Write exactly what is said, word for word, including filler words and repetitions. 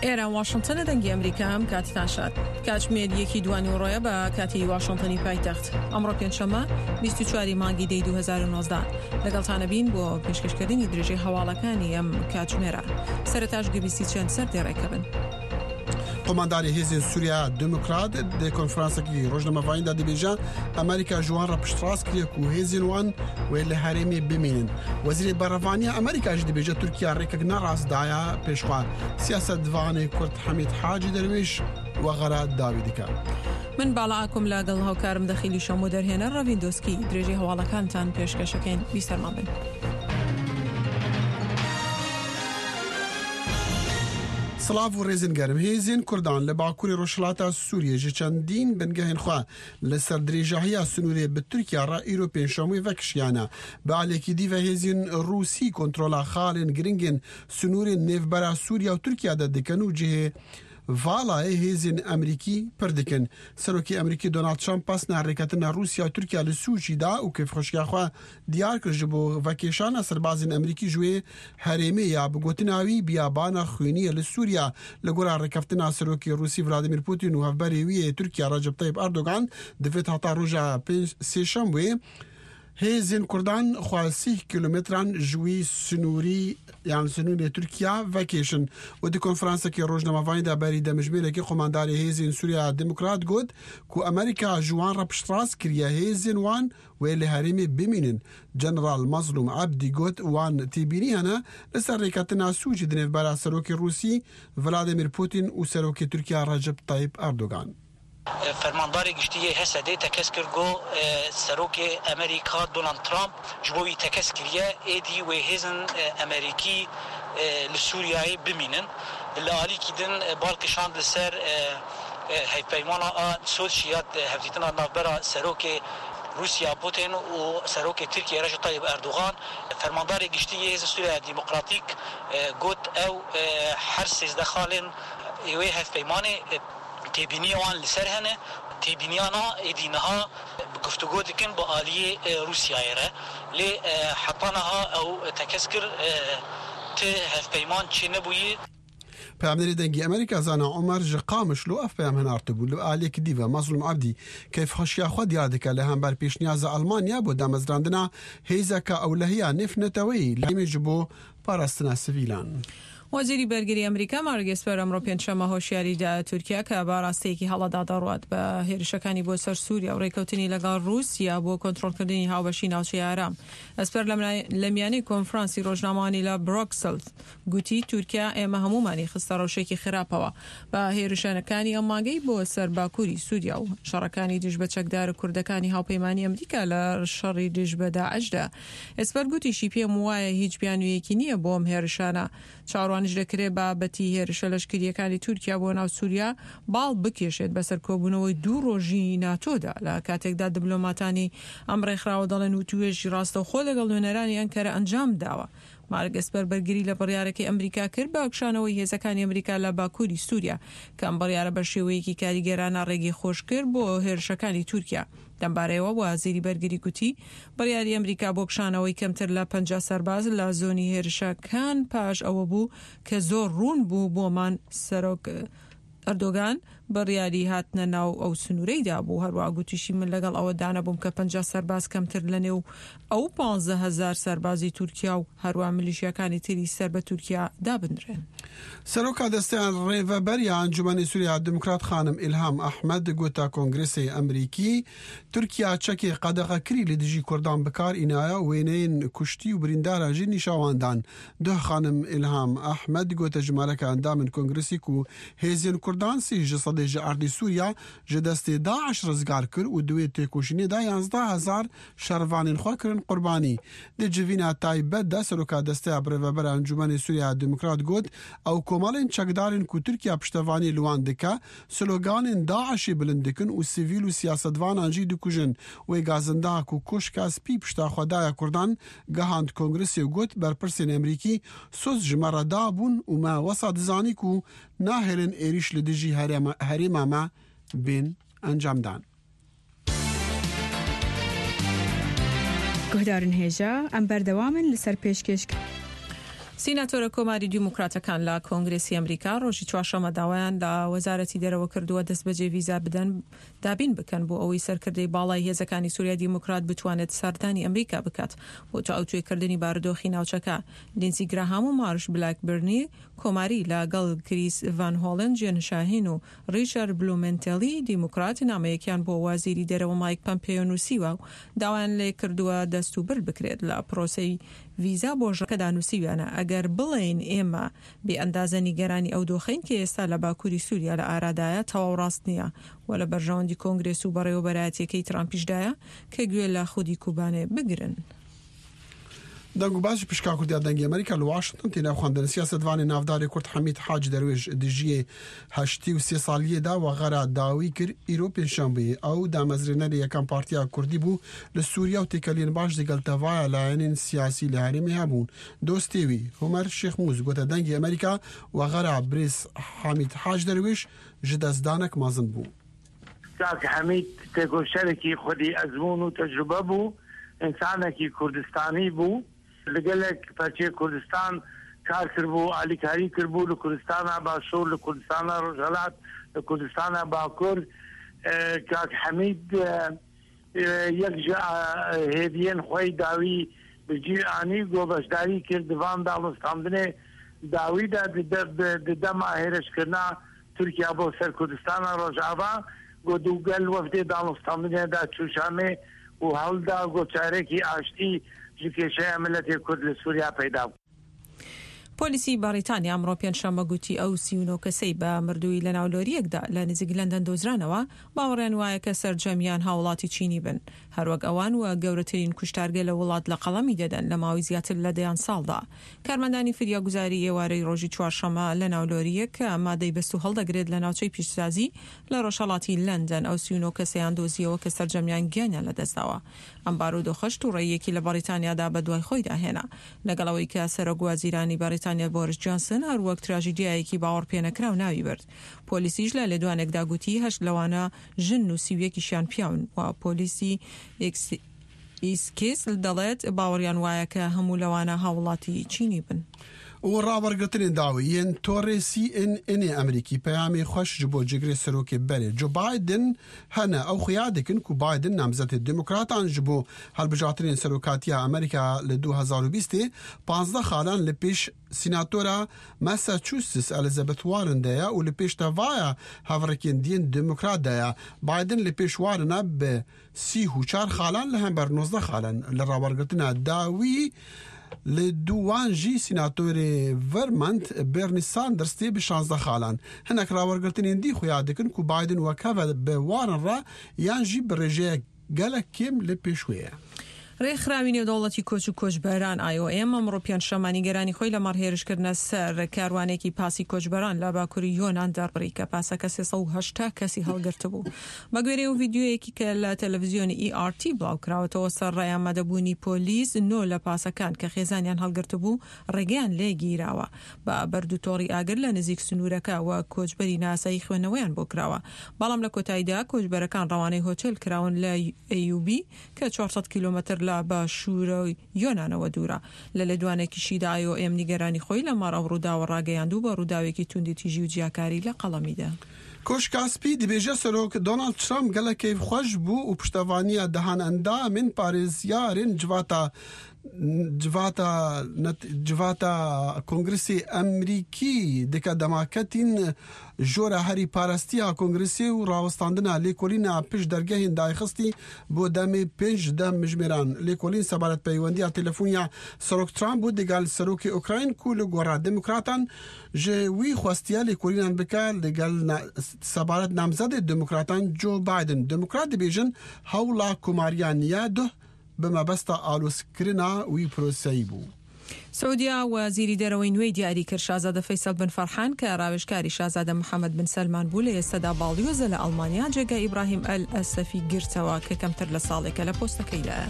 ئێرە واشنتنە، دەنگی ئەمریکا. ئەم کاتتان شاد. کاتژمێر یەکی دوانیوەڕۆیە بە کاتی واشنتنی پایتەخت. ئەمڕۆ پێنجشەممە بیست و چوار مانگی دەی دوو هەزار و نۆزدە، لەگەڵتانە بین بۆ پێشکەشکردنی درێژەی هەواڵەکانی ئەم کاتژمێرە. سەرەتاش گوێبیستی چەند سەر دێڕێکە بن. قومانداری هێزên Sûriya Demokrat di konferansekî rojnamevanî de dibêje Amerîka ji wan re piştrast kiriye ku hêzên wan wê li herêmê bimînin. Wezîrê Berevaniya Amerîka jî dibêje Tirkiye rêkek nerast daye pêş xwe. Siyasetvanê Kurd Hemîd Hacî Derwêş wexera dawî dike. من باڵا ئاکۆم لەگەڵ هاوکارم دەخیلی شەم و دەرهێنەر ڕەڤین دۆسکی درێژەی هەواڵەکانتان پێشکەشەکەین. بیسەرمان بن. Silav û rêzên germ. Hêzên Kurdan li Bakurê Rojhilata Sûriyê ji çendîn bingehên xwe li ser dirêjahiya sînorê bi Tirkiya re îro pêncşemê vekişiyane. Bi aliyekî dî ve hêzên Rûsî kontrola xalên giringên sînorên nêvbera Sûriya û Tirkiya de dikin û cihê valayê hêzên Amerîkî pir dikin. Serokê Amerîkî Donald Trump pesna rêketina Rûsya û Tirkiya li Sûçî da û kêfxweşiya xwe diyar kir ji bo vekêşana serbazên Amerîkî ji wê herêmê ya bi gotina wî biyabana xwîniyê li Sûriya. Li gora rêkeftina Serokê Rûsî Vladimir Putin û hevberê wî yê Tirkiya Recep Tayyip Erdogan divêt heta roja sêşemê hêzên Kurdan xwe sî kilometran ji wî sînorî yan sînorê Tirkiya vekêşin. Û di konferansekê rojnamevanî de berî demjimêrekê qomandarê hêzên Sûriya Demokrat got ku Amerîka ji wan re piştrast kiriye hêzên wan wê li herêmê bimînin. General Mazlûm Ebdî got wan têbînî hene li ser rêketina Sûçî di nêvbera Serokê Rûsî Vladimir Putin û Serokê Tirkiya Recep Tayyip Erdogan. Fermandarê Giştî yê H S Dê tekez kir ku Serokê Amerîka Donald Trump ji bo wî tekez kiriye êdî wê hêzên Amerîkî li Sûriyeyê bimînin. Li alîkî din bal kişand li ser hevpeymana a Soçî ya hevdîtina navbera Serokê Rûsya Putin û Serokê Tirkiye Recep Tayyip Erdogan. Fermandarê Giştî yê Hêzên Sûriya Demokratîk got ew her sêzdeh xalên wê hevpeymanê têbîniya wan li ser hene, têbîniyana êdî niha bi guftugo dikin bi aliyê Rûsyayê re, lê heta niha ew tekez kir ti hevpeyman çênebûyî. Peyamnêrê Dengê Amerîka Zana Omer ji Qamişlo ev peyam hinartibû. Li aliyekî dî ve Mazlûm Ebdî keyfxweşiya xwe diyar dike li hember pêşniyaza Almanya bo damezrandina hêzeka ewlehiya nêvneteweyî li herêmê ji bo parastina sivîlan. وەزیری بەرگری ئەمریکا مارک ئێسپەر ئەمڕۆ پێنجشەممە هۆشیاری دا تورکیا کە بە ڕاستەیەکی هەڵەدا دەڕوات بە هێرشەکانی بۆ سەر سووریا و ڕێککەوتنی لەگەڵ رووسیا بۆ کۆنترۆڵکردنی هاوبەشی ناوچەی ئارام. ئەسپەر لە میانەی کۆنفرانسی ڕۆژنامەوانی لە برۆکسل گوتی تورکیا ئێمە هەمومانی خستە ڕەوشێکی خراپەوە بە هێرشەکانی ئەم مانگەی بۆ سەر باکووری سووریا و شەڕەکانی دژ بە چەکدار کوردەکانی هاوپەیمانی ئەمریکا لە شەڕی دژ بە داعشدا. ئێسپەر گوتیشی پێم وایە هیچ بیانوویەکی نییە بۆ ئەم هێرشانە. چاوەڕوانیش دەکرێت بابەتی هێرشە لەشکریەکانی تورکیا بۆ ناو سووریا باڵ بکێشێت بەسەر کۆبوونەوەی دوو ڕۆژی ناتۆدا، لە کاتێکدا دیبلۆماتانی ئەم ڕێکخراوە دەڵێن وتوێژی ڕاستەوخۆ لەگەڵ نوێنەرانی ئەنکەرە ئەنجام داوە. مارک ئێسپەر بەرگری لە بڕیارەکەی ئەمریکا کرد بە کشانەوەی هێزەکانی ئەمریکا لە باکووری سووریا، کە ئەم بڕیارە بە شێوەیەکی کاریگەرانە ڕێگەی خۆش کرد بۆ هێرشەکانی تورکیا. لەمبارەیەوە وەزیری بەرگری گوتی بڕیاری ئەمریکا بۆ کشانەوەی کەمتر لە پەنجا سەرباز لە زۆنی هێرشەکان پاش ئەوە بوو کە زۆر ڕوون بوو بۆمان سەرۆک ئەردۆگان بڕیاری هاتنە ناو ئەو سنوورەی دابوو. هەروەها گوتیشی من لەگەڵ ئەوە دانەبووم کە پەنجا سەرباز کەمتر لە نێو ئەو پانزە هەزار سەربازی تورکیا و هەروەها میلیشیاکانی تری سەر بە تورکیا دابنرێن. Seroka Desteya Rêveberiya Encûmenê Sûriya Demokrat Xanim Îlham Ehmed gota Kongresê Amerîkî Tirkiya çekê qedexekirî li dijî Kurdan bikar înaye û wêneyên kuştî û birîndaran jî nîşan dan. Duh Xanim Îlham Ehmed gote jimareke endamên Kongresê ku hêzên Kurdan sî ji sedê ji erdê Sûriya ji destê Daîş rizgar kir û di wê têkoşînê de yanzdeh hezar şervanên xwe kirin qurbanî. Di civîna taybet de Seroka Desteya Birêvebera Encûmenê Sûriya Demokrat got ew komalên çekdarên ku Tirkiya piştevanî li wan dike sloganên Daişê bilind dikin û sivîl û siyasetvanan jî dikujin. Wê gazinda ku Koşka Spî pişta xwe daye Kurdan gihand Kongresê û got berpirsên Amerîkî soz ji me re dabûn û me wesa dizanî ku nahêlin êriş li dijî herêma me bên encamdan. Guhdarên hêja, em berdewamin li ser pêşkêş سیناتۆرە کۆماری دیموکراتەکان لە کۆنگرێسی ئەمریکا ڕۆژی چوارشەممە داوایان لە وەزارەتی دەرەوە کردووە دەستبەجێ ڤیزا بدەن دابین بکەن بۆ ئەوەی سەرکردەی باڵای هێزەکانی سوریای دیموکرات بتوانێت سەردانی ئەمریکا بکات بۆ تاوتوێکردنی بارودۆخی ناوچەکە. لینسی گراهام و مارش بلاکبرنی کۆماری لەگەڵ کریس ڤان هۆڵن، جێن شاهین و ڕیچارد بلومنتێلی دیموکرات نامەیەکیان بۆ وەزیری دەرەوە مایک پەمپێیۆ نووسیوە و داوایان لێ کردووە دەستوبرد بکرێت لە پرۆسەی ڤیزا بۆ ژەکەدا. نووسیویانە ئەگەر بڵێین ئێمە بێ ئەندازە نیگەرانی ئەو دۆخەین کە ئێستا لە باکووری سووریا لە ئارادایە تەواو ڕاست نییە و لە بەرژەوەندی کۆنگرێس و بەڕێوەبەرایەتیەکەی ترامپیشدایە کە گوێ لە خودی کوبانێ بگرن. دەنگ و باسی پشکا کوردیا دەنگی ئەمریکا لە واشنتن تێنا خواندن. سیاسەتوانی ناوداری کورد حەمید حاج دەروێش دژیێ هەشتی و سێ ساڵیەدا وەغەرا داوی کرد ئیرۆ پێنجشەنبێ. ئەو دامەزرێنەری یەکەم پارتیا کوردی بوو لە سووریا و تێکەلین باش دەگەڵ تەڤایە لایەنین سیاسی لە هەرێمی هەبوون. دۆستێوی هومەر شێخ موز گوتە دەنگی ئەمریکا وەغەرا برێز حەمید حاج دەروێش ji دەستدانێک مەزن بوو. کاک حەمید تێکۆشەرێکی خودی ئەزمون و تەجروبە بوو، ئینسانێکی کوردستانی بوو، لەگەلێک پەرچەی کوردستان کار کردبوو، ئالیکاری کردبوو لە کوردستانە باشوور، لە کوردستانە ڕۆژهەڵات، لە کوردستانە باکوور. کاک حەمید یەک ji هێڤیên خۆی داوی بجی ئانی گۆ بەشداری کرد دوان داڵستاندنێ داویدا دەما هێرشکردنا تورکیا بۆ سەر کوردستانە ڕۆژاوا گۆ دووگەل وەفدێ داڵستاندنێدا چووشامێ و هەڵدا گۆچارێکی ئاشتی ji کێشەیە ملەتی کورد لە سووریا پەیدا بوو. پۆلیسی بەریتانیا ئەمڕۆ پێنجشەممە گوتی ئەو سی و نۆ کەسەی بە مردووی لەناو لۆریەکدا لە نزیک لەندەن دۆزرانەوە باوەڕیان وایە کە سەرجەمیان هاوڵاتی چینی بن، هەروەک ئەوان و گەورەترین کوشتارگە لە وڵات لە قەڵەمی دەدەن لە ماوەی زیاتر لە دەیان ساڵدا. کارمەندانی فریاگوزاری ئێوارەی ڕۆژی چوارشەممە لەناو لۆریەک کە مادەی بەست و هەڵدەگرێت لە ناوچەی پیشسازی لە ڕۆژهەڵاتی لەندەن ئەو سی و نۆ کەسەیان دۆزیەوە کە سەرجەمیان گیانیان لەدەستداوە. ئەم بارودۆخەش تووڕەیەکی لە بەریتانیادا بەدوای خۆیدا هێنا، لەگەڵ ئەوەی کە سەرۆک وەزیرانی بەریتانیا بۆریس جانسن هەروەک تراژیدیایەکی باوەڕپێنەکراو ناوی برد. پۆلیسیش لە لێدوانێکدا گوتی هەشت لەوانە ژن و سی و یەکیشیان پیاون و پۆلیسی ئیسکیس دەڵێت باوەڕیان وایە کە هەموو لەوانە هاوڵاتی چینی بن. و ڕاوەرگرتنی داویên تۆڕێ سی ئێن ئێن ئەمریکی پەیامی خۆش ji bo cigirê serokê berê Joe Biden hene ew xuya dikin ku Biden namzetê Demokratan ji bo hilbijartinên serokatiya Amerîka li du hezar û bîstê pazdeh xalan li pêş Sînatora Massachusetts Elizabeth Warren de ye û li pêş tevaya hevrikên diyên Demokrat de ye. Biden li pêş Warren bi sî û çar xalan li hember nozdeh xalan li rawergirtina dawî li دووان ژی سیناتۆرێ Vermont Bernie Sanders tê bi şanzdeh xalan. Hinek rawergirtinên dî xuya dikin ku Biden wekeve bi Warren re yan jî bi rêjeyek gelek kêm li pêş wê ye. ڕێکخراوی نێودەوڵەتی کۆچ و کۆچبەران ئای ئۆ ئێم ئەمڕۆ پێنجشەممە نیگەرانی خۆی لەمەڕ هێرشکردنە سەر کاروانێکی پاسی کۆچبەران لە باکووری یۆنان دەربڕی کە پاسەکە سێ سەد و هەشتا کەسی هەڵگرتبوو. بە گوێرەی ئەو ڤیدیۆیەکی کە لە تەلەڤیزیۆنی ئی ئار تی بڵاوکراوەتەوە سەر ڕای ئامادەبوونی پۆلیس نۆ لە پاسەکان کە خێزانیان هەڵگرتبوو ڕێگەیان لێگیراوە بە بەرد و تۆڕی ئاگر لە نزیک سنوورەکە و کۆچبەری ناسایی خوێندنەوەیان بۆ کراوە. بەڵام لە کۆتاییدا کۆچبەرەکان ڕەوانەی هۆتێل کراون لە ئەیوبی کە چوار سەد کیلۆمەتر لە باشوورە یۆنانەوە دوورە. لە لێدوانێکیشیدا ئای ئۆ ئێم نیگەرانی خۆی لەمەڕ ئەو ڕووداوە ڕاگەیاند و بە ڕووداوێکی توندی تیژی و جیاکاری لە قەڵەمیدا. کۆشکا سپی دەبێژە سەرۆک دۆناڵد ترامپ gelek keyfxweş bû û piştevaniya dehan endamên parêzyarên civata civata civata Kongresê Amerîkî dike demaketîn jora herî parestiya Kongresê û rawestandina lêkolîna pişt dergehên dayxistî bo demê pênc dem mijmêran. Lêkolîn sebaret peywendiya telefoniya Serok Trump bû digel serokê Ukrayn ku li gora Demokratan ji wî xwestiye lêkolînan bike ligel sebaret namzedê Demokratan Joe Biden. Demokrat dibêjin hewla komariya niye duh bi mebesta alozkirina wî proseyî bû. سعودیا وەزیری دەرەوەی نوێی دیاری کرد شازادە فەیسەڵ بن فەرحان کە ڕاوێژکاری شازادە محەممەد بن سەلمان بوو لە ئێستادا باڵیۆزە لە ئەڵمانیا جێگای ئیبراهیم ئەل ئەسەفی گرتەوە کە کەمتر لە ساڵێکە لە پۆستەکەیدایە.